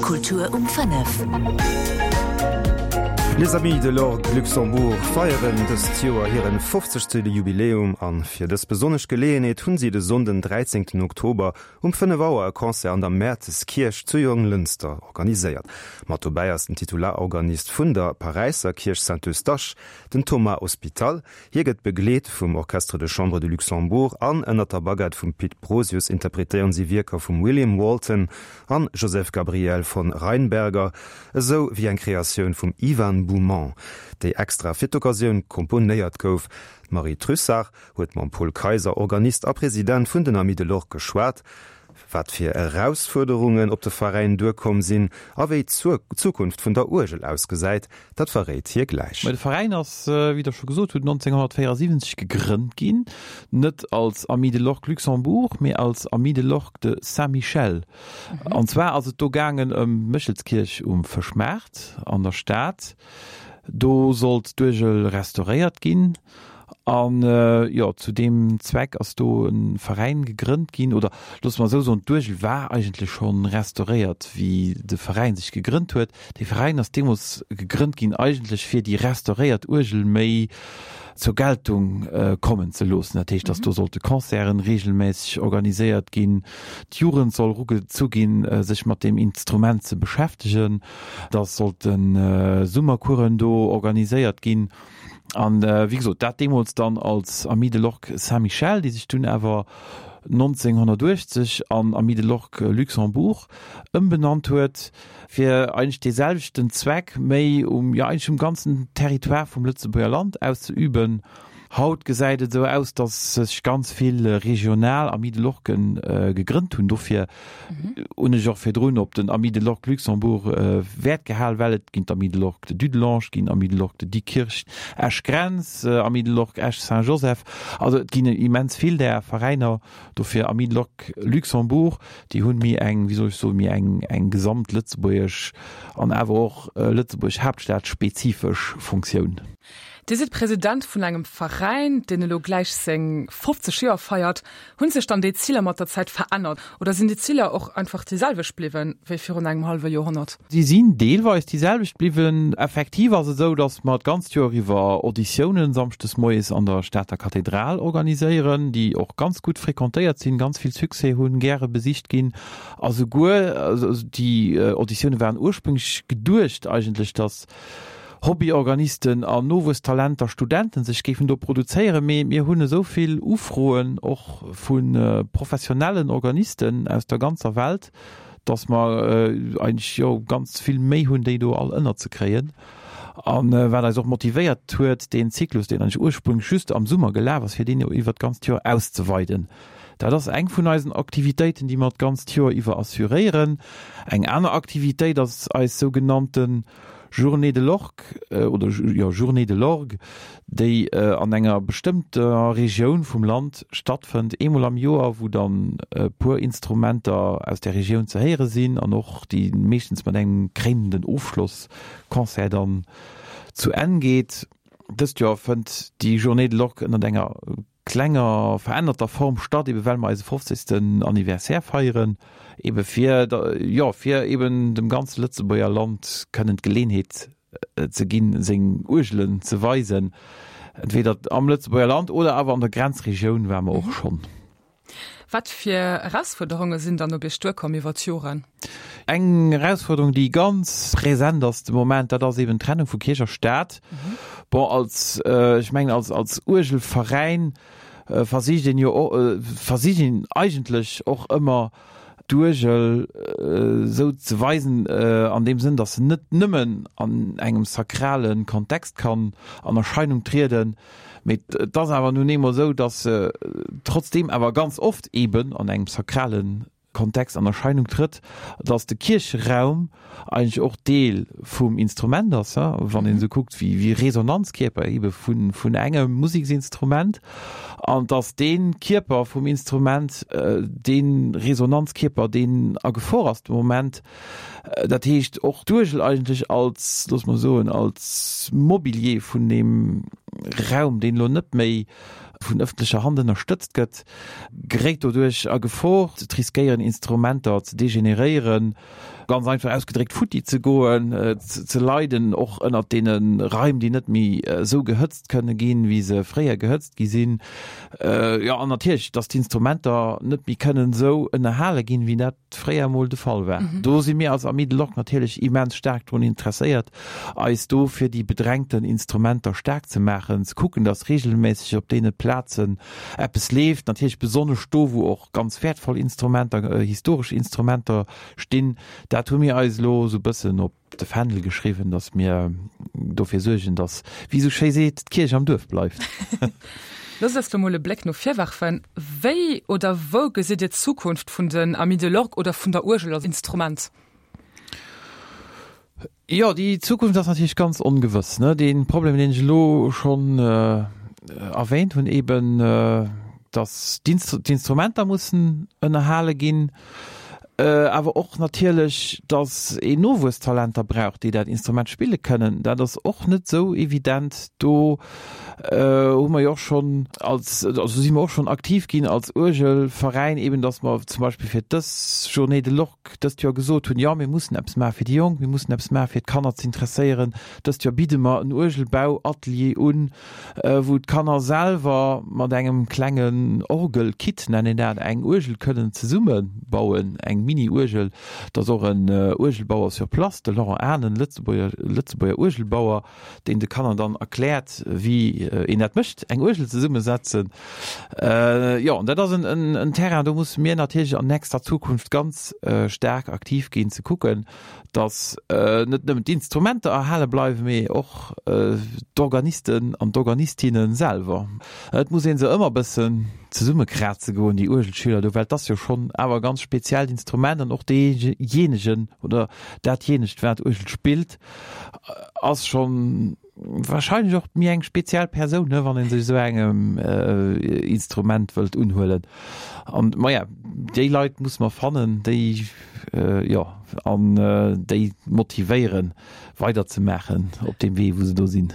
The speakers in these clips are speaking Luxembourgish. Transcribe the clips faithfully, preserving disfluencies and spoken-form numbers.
Kultur um fënnef. Les Amis de l'Orgue Luxembourg feieren dëst Joer hiren fofzegste Jubiläum an fir dës besonnesch Geleeënheet hunn si de Sonnden dräizéngten Oktober um fënnef Auer e Concert an der Mäerteskierch zu Jonglënster organiséiert. Mat dobäi ass den Titularorganist vun der Paräisser Kierch Saint-Eustache, den Thomas Ospital. Hie gëtt begleet vum Orchestre de Chambre de Luxembourg an ënnert der Baguette vum Pit Brosius interpretéieren si Wierker vum William Walton an Joseph Gabriel von Rheinberger, esou wéi eng Kreatioun vum Ivan Boumans, déi extra fir d'Occasioun komponéiert gouf. D'Marie Trussart huet mam Paul Kayser, Organist a President vun den Amis de l'Orgue geschwat, wat fir Erausfuerderungen op de Veräin duerkomm sinn a wéi d'Zukunft vun der Uergel ausgesäit, dat verréit hie gläich. De Veräin ass, wéi Der scho gesot hutt, nonzénghonnertvéierasiwwenzeg gegrënnt ginn, net als Amis de l'Orgue Luxembourg, mee als Amis de l'Orgue de Saint-Michel. An zwar ass et do gaangen ëm d'Méchelskierch um Fëschmaart an der Stad. Do sollt d'Uergel restauréiert ginn. An jo, zu deem Zweck ass do e Veräin gegrënnt ginn, oder loosse mer esou soen, d'Uergel war eigentlech scho restauréiert, wéi de Veräin sech gegrënnt huet. Dee Veräin ass deemools gegrënnt ginn eigentlech fir déi restauréiert Uergel méi zur Geltung kommen ze loossen. Dat heescht, datt do sollte Concerten reegelméisseg organiséiert ginn, d'Jugend soll erugezu ginn, sech mat deem Instrument ze beschäftegen, datt sollte Summercoursen do organiséiert ginn. An wéi gesot, dat deemools dann als Amis de l'Orgue Saint-Michel, déi sech dunn awer nonzénghonnertuechtzeg an Amis de l'Orgue Luxembourg ëmbenannt huet, fir eigentlech dee selwechten Zweck méi um, jo eigentlech um ganzen Territoire vum Lëtzebuerger Land auszeüben. Haut gesäit et esou aus, datt sech ganz vill regional Amis de l'Orguen gegrënnt hunn. Dofir hunn ech och virdrun op den Amis de l'Orgue Luxembourg Wäert gehal, well et ginn d'Amis de l'Orgue de Dudelange, et ginn Amis de l'Orgue de Diekirch, Esch-Grenz, Amis de l'Orgue Esch-Saint-Joseph. Also et ginn immens vill där Veräiner. Dofir Amis de l'Orgue Luxembourg, déi hunn méi eng, wéi soll ech soen, méi eng eng gesamt lëtzebuergesch an awer och Lëtzebuerg Haaptstad-spezifesch Funktioun. Dir sidd President vun engem Veräin, deen elo gläich seng fofzeg Joer feiert. Hunn sech dann déi Ziler mat der Zäit verännert oder sinn déi Ziler och einfach déi selwecht bliwwen wéi virun engem hallwe Joerhonnert? Si sinn deelweis déi selwecht bliwwen. Effektiv ass et esou, datt mer d'ganzt Joer iwwer Auditiounen samschdes moies an der Stater Kathedral organiséieren, déi och ganz gutt frequentéiert sinn, ganz vill Succès hunn, gäre besicht ginn a souguer déi Auditioune waren ursprünglech geduecht eigentlech, datt Hobbyorganisten an Nowuesstalenter, Studenten sech géifen do produzéieren, mee mir hunn esou vill Ufroen och vu professionellen Organisten aus der ganzer Welt, dass mer eigentlech, jo, ganz vill Méi hunn, déi do all ënnerzekréien. A wat eis och motivéiert huet, deen Zyklus, deen eigentlech ursprünglech just am Summer gelaf ass, fir deen iwwert d'ganzt Joer auszeweiden. Dat ass eng vun eisen Aktivitéiten, déi mer d'ganzt Joer iwwer assuréieren. Eng aner Aktivitéit ass eis sougenannte Journée de l'Orgue, oder jo, Journée de l'Orgue, déi an enger bestëmmter Regioun vum Land stattfënnt, eemol am Joer, wou dann e puer Instrumenter aus där Regioun ze héiere sinn an och déi meeschtens mat engem kréinenden Ofschlossconcert dann zu Enn geet. Dëst Joer fënnt déi Journée de l'Orgue ënnert enger klenger verännerter Form statt, ebe well mer eise fofzegsten Anniversaire feieren, ebe fir, jo, fir eben dem ganze Lëtzebuerger Land kënnen d'Geleenheet ze ginn, seng Uergelen ze weisen, entweder am Lëtzebuerger Land oder awer an der Grenzregioun ware mer och schonn. Wat fir Erausfuerderunge sinn dann op Iech duerkomm iwwer d'Joren? Eng Erausfuerderung, déi ganz present ass de Moment, dat ass eben d'Trennung vu Kierch a Staat. Bon, als, ech mengen, als, als Uergelveräin versicht een jo, versicht een eigentlech och ëmmer d'Uergel esou ze weisen, an deem Sënn, datt se net nëmmen an engem sakrale Kontext kann an Erscheinung trieden, mee et ass awer nun eemol esou, datt se trotzdeem awer ganz oft eeben an engem sakrale Kontext an Erscheinung trëtt, datt de Kiercheraum eigentlech och Deel vum Instrument ass, wann een esou kuckt wéi Resonanzkierper eebe vun engem Museksinstrument, an datt dee Kierper vum Instrument, dee Resonanzkierper, deen a Gefor ass de Moment, dat heescht och d'Uergel eigentlech als, loosse mer soen, als Mobilier vun deem Raum, deen elo net méi vun ëffentlecher Hand ënnerstëtzt gëtt, geréit doduerch a Gefor, et riskéieren Instrumenter ze degeneréieren, ganz einfach ausgedréckt, futti ze goen, ze leiden och ënnert deene Raim, déi net méi esou gehëtzt kënne ginn, wéi se fréier gehëtzt gi sinn. Jo, an natierlech, datt d'Instrumenter net méi kënnen esou ënnerhale ginn, wéi dat fréier emol de Fall war. Do si mir als Amis de l'Orgue natierlech immens staark drun interesséiert, eis do fir déi bedrängten Instrumenter staark ze maachen, ze kucken, datt reegelméisseg op deene Plazen eppes leeft, natierlech besonnesch do, wou och ganz wäertvoll Instrumenter, historesch Instrumenter stinn. Dat hu mir eis elo esou e bëssen op de Fändel geschriwwen, datt mir dofir suergen, datt, wéi esou schéi seet, d'Kierch am Duerf bleift. Loosst eis lo mol e Bléck no vir werfen. Wéi oder wou gesitt Dir d'Zukunft vun den Amis de l'Orgue oder vun der Uergel als Instrument? Jo, déi Zukunft ass natierlech ganz ongewëss, ne? Dee Problem, deen ech elo schonn erwähnt hunn, eben, datt d'Instrumenter mussen ënnerhale ginn, awer och natierlech, datt een Nowuesstalenter brauch, déi dat Instrument spille kënnen. Dat ass och net esou evident. Do hu mer jo och schonn als, also si mer och schonn aktiv ginn als Uergelveräin, eben datt mer zum Beispill fir dës Journée de l'Orgue dëst Joer gesot hunn, jo mir mussen eppes maache fir déi Jonk, mir mussen eppes maache fir d'Kanner ze interesséieren. Dëst Joer bidde mer en Uergelbauatelier un, wou d'Kanner selwer mat engem klengen Orgelkit, nennen een dat, eng Uergel kënnen zesumme bauen, eng Mini-Uergel. Et ass och en Uergelbauer sur place, de Laurent Ahnen, Lëtzebuerger Lëtzebuerger Uergelbauer, deen de Kanner dann erkläert, wéi een dat mécht, eng Uergel zesummesetzen. Jo, an dat ass en Terrain, do musse mir natierlech an nächster Zukunft ganz staark aktiv ginn, ze kucken, datt net nëmmen d'Instrumenter erhale bleiwen, mee och d'Organisten an d'Organistinne selwer. Et muss ee se ëmmer e bëssen zesummekraze goen, déi Uergelschüler do, well et ass jo schonn awer e ganz speziellt Instrument an och deejéinegen oder datjéinegt, wat Uergel spillt, ass schonn wahrscheinlech och méi eng speziell Persoun, ne, wann ee sech esou engem Instrument wëllt unhuelen. An, maja, déi Leit musse mer fannen, déi, jo, an déi motivéieren, weiderzemaachen op deem Wee, wou se do sinn.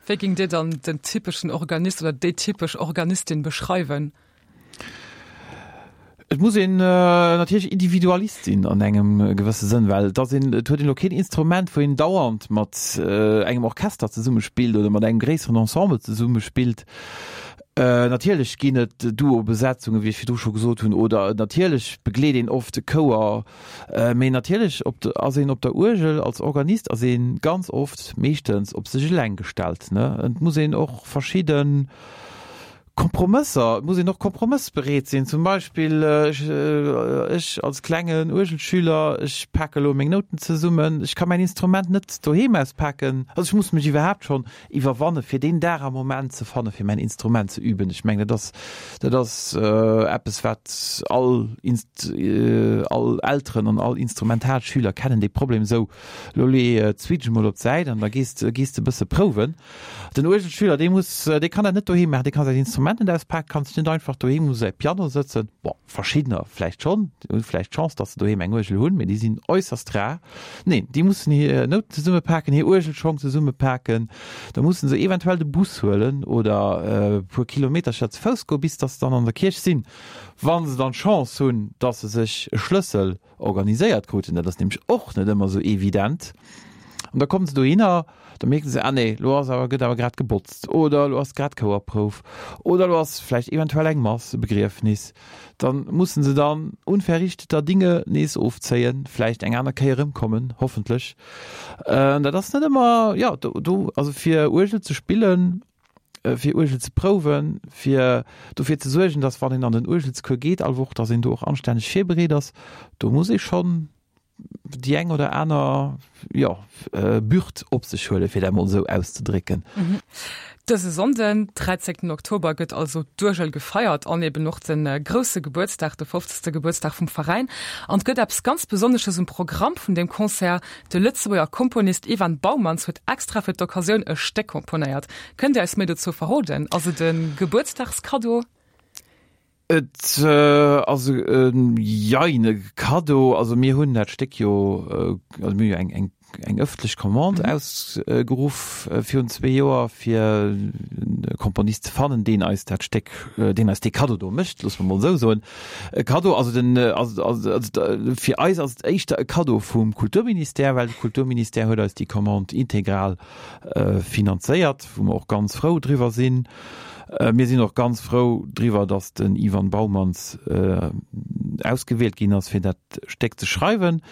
Wéi géingt Dir dann den typeschen Organist oder déi typesch Organistin beschreiwen? Et muss een natierlech Individualist sinn an engem gewësse Sënn, well et ass een, et huet een elo keen Instrument, wou een dauernd mat engem Orchester zesummespillt oder mat engem gréisseren Ensemble zesummespillt. Natierlech ginn et Duo-Besetzungen, wéi ech virdru scho gesot hunn, oder natierlech begleet een oft e Chouer, mee natierlech op de, ass een op der Uergel als Organist ass ee ganz oft, meeschtens op sech eleng gestallt, ne. Et muss een och verschidden Kompromësser, et muss een och kompromëssbereet sinn. Zum Beispill ech, ech als klengen Uergelschüler, ech pake elo meng Nouten zesummen, ech ka mäin Instrument net doheem auspaken, also ech muss mech iwwerhaapt schonn iwwerwanne fir deen Dag a Moment ze fanne fir mäin Instrument ze üben. Ech mengen dat ass, dat ass eppes wat all Inst, all Elteren an all Instrumentalschüler kennen dee Problem. Esou, elo lee d'Switch emol op d'Säit an da gees de, gees de e bësse prouwen. Den Uergelschüler, dee muss, dee kann dat net doheem maachen, dee kann säin Instrument net auspaken, kann sech net einfach doheem u säi Piano sëtzen. Bon, verschiddener vläicht schonn, déi hu vläicht d'Chance, datt se doheem eng Uergel hunn, mee déi sinn äusserst rar. Neen, déi mussen hir Nouten zesummepaken, hir Uergelschong zesummepaken, da musse se eventuell de Bus huelen oder e puer Kilometercher ze Fouss goen, bis datt se dann an der Kierch sinn, wa se dann d'Chance hunn, datt se sech e Schlëssel organiséiert kruten. Dat ass nämlech och net ëmmer esou evident. An da kommen se dohinner, da mierken se, ah nee, lo ass awer, gëtt awer grad gebotzt oder lo ass grad Chouerprouf oder lo ass vläicht eventuell eng Mass, e Begriefnis. Dann mussen se dann unverrichteter Dinge nees ofzéien, vläicht eng aner Kéier erëmkommen, hoffentlech. An dat ass net ëmmer, jo, do, do, also fir Uergel ze spillen, fir Uergel ze prouwen, fir dofir ze suergen, dass wann een an den Uergelscours geet all Woch, dass een do och anstänneg virbereet ass, do muss ee schonn déi eng oder aner, jo, Bürd op sech huelen, fir dat emol esou auszedrécken. Dëse Sonnden, dräizéngten Oktober, gëtt also d'Uergel gefeiert an eben och de grousse Gebuertsdag, de fofzegste Gebuertsdag vum Veräin. An et gëtt eppes ganz Besonnesches um Programm vun deem Concert, De Lëtzebuerger Komponist Ivan Baumanns huet extra fir d'Occasioun e Stéck komponéiert. Kënnt Dir eis méi dozou verroden? Ass et e Gebuertsdagskaddo? Et ass e jein e Kaddo. Also mir hunn dat Stéck jo, also mir hu jo eng eng eng ëffentlech Commande ausgeruff virun zwee Joer, fir e Komponist ze fannen, deen eis dat Stéck, deen eis dee Kaddo do mécht, loosse mer mol esou soen. E Kaddo, also den, also also fir eis ass et éischter e Kaddo vum Kulturministère, well de Kulturministère huet eis déi Commande integral finanzéiert, wou mer och ganz frou driwwer sinn. Mir sinn och ganz frou driwwer, datt den Ivan Baumanns ausgewielt ginn ass, fir dat Stéck ze schreiwen.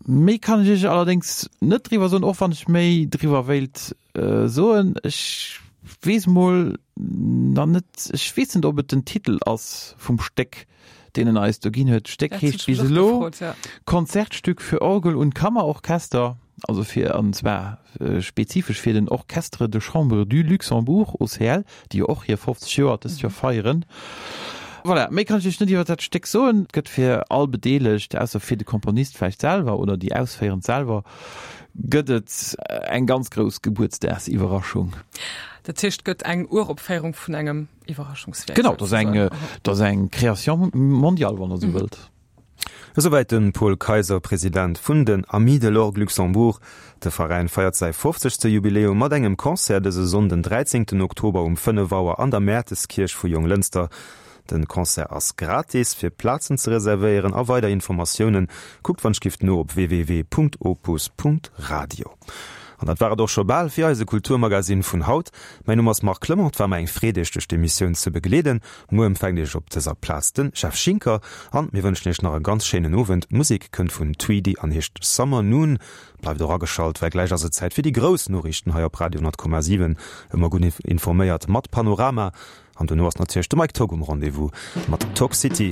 Méi kann ech Iech allerdéngs net driwwer soen, och wann ech méi driwwer wéilt soen. Ech weess mol nach net, ech weess net, ob et den Titel ass vum Stéck, deen en eis do ginn huet. D'Stéck heescht bis elo Konzertstück für Orgel und Kammerorchester, also fir, an zwar spezifesch fir den Orchestre de Chambre du Luxembourg, OCL, déi jo och hir fofzeg Joer dëst Joer feieren. Voilà, méi kann ech Iech net iwwer dat Stéck soen. Et gëtt fir all Bedeelegt, ausser fir de Komponist vläicht selwer oder déi Ausféierend selwer, gëtt et eng ganz grouss Gebuertsdagsiwwerraschung. Dat heescht, et gëtt eng Uropféierung vun engem Iwwerraschungswierk Genau, dat ass eng, dat ass eng Création mondiale, wann Der esou wëllt. Esouwäit de Paul Kayser, President vun den Amis de l'Orgue Luxembourg. De Veräin feiert säi fofzegste Jubiläum mat engem Concert dëse Sonnden, dräizéngten Oktober um fënnef Auer an der Mäerteskierch vu Jonglënster. Den Concert ass gratis. Fir Plazen ze reservéieren a weider Informatiounen, kuckt wann gift no op www.opus.radio. An dat war et och scho bal fir eise Kulturmagazin vun haut. Mäin Numm ass Marc Clement, et war mer eng Freed Iech duerch d'Emissioun ze begleeden. Muer empfänkt Iech op dëser Plaz den Jeff Schinker an mir wënschen Iech nach e ganz schéinen Owend. D'Musek kënnt vun Tweedy an heescht Summer Noon. Bleift och ageschalt, well gläich ass et Zäit fir déi grouss Noriichten hei op Radio honnert Komma siwen. Ëmmer gutt informéiert mat Panorama. An dono ass natierlech de Mike Togg um Rendez-vous mat Talk City.